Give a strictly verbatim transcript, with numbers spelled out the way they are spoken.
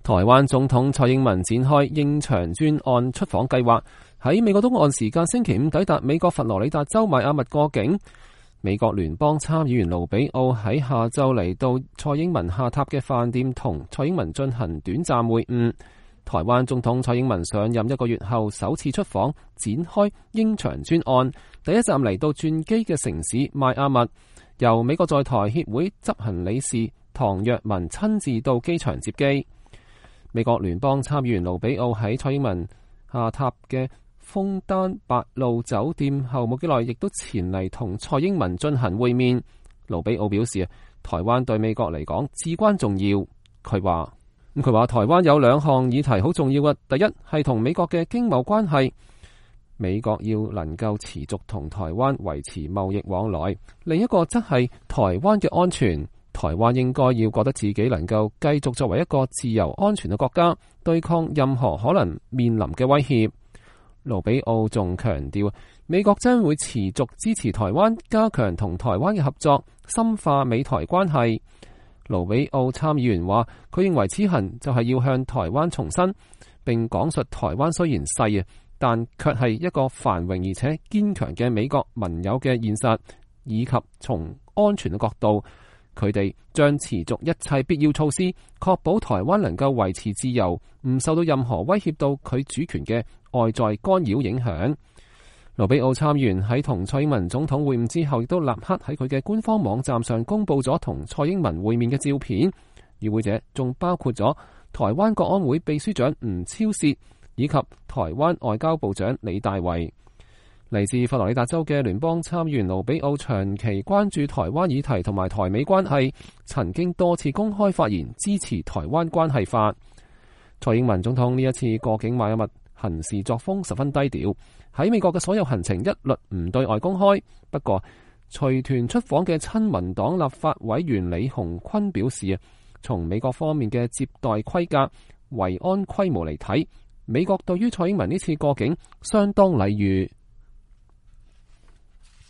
台灣總統蔡英文展開應長專案出訪計劃，喺美國東岸時間星期五抵達美國佛羅里達州邁阿密過境。美國聯邦參議員盧比奧喺下晝嚟到蔡英文下榻嘅飯店同蔡英文進行短暫會晤。台灣總統蔡英文上任一個月後首次出訪，展開應長專案，第一站嚟到轉機嘅城市邁阿密，由美國在台協會執行理事唐若文親自到機場接機。美國聯邦參議員盧比奧喺蔡英文下榻嘅楓丹白露酒店後冇幾耐，亦都前嚟同蔡英文進行會面。盧比奧表示，台灣對美國嚟講至關重要。佢話咁佢話台灣有兩項議題好重要嘅，第一係同美國嘅經貿關係，美國要能夠持續同台灣維持貿易往來；另一個則係台灣嘅安全。台灣應該要覺得自己能夠繼續作為一個自由安全嘅國家，對抗任何可能面臨嘅威脅。盧比奧仲強調，美國將會持續支持台灣，加強同台灣嘅合作，深化美台關係。盧比奧參議員話，佢認為此行就係要向台灣重申，並講述台灣雖然細啊，但卻係一個繁榮而且堅強嘅美國盟友嘅現實，以及從安全嘅角度，佢哋將持續一切必要措施，確保台灣能夠維持自由，唔受到任何威脅到佢主權嘅外在干擾影響。盧比奧參議員喺同蔡英文總統會晤之後，亦都立刻喺佢嘅官方網站上公布咗同蔡英文會面嘅照片。與會者仲包括咗台灣國安會秘書長吳釗燮以及台灣外交部長李大維。嚟自佛羅里達州嘅聯邦參議員盧比奧長期關注台灣議題同埋台美關係，曾經多次公開發言支持台灣關係法。蔡英文總統呢一次過境邁阿密行事作風十分低調，喺美國嘅所有行程一律唔對外公開。不過隨團出訪嘅親民黨立法委員李鴻坤表示啊，從美國方面嘅接待規格、維安規模嚟睇，美國對於蔡英文呢次過境相當禮遇。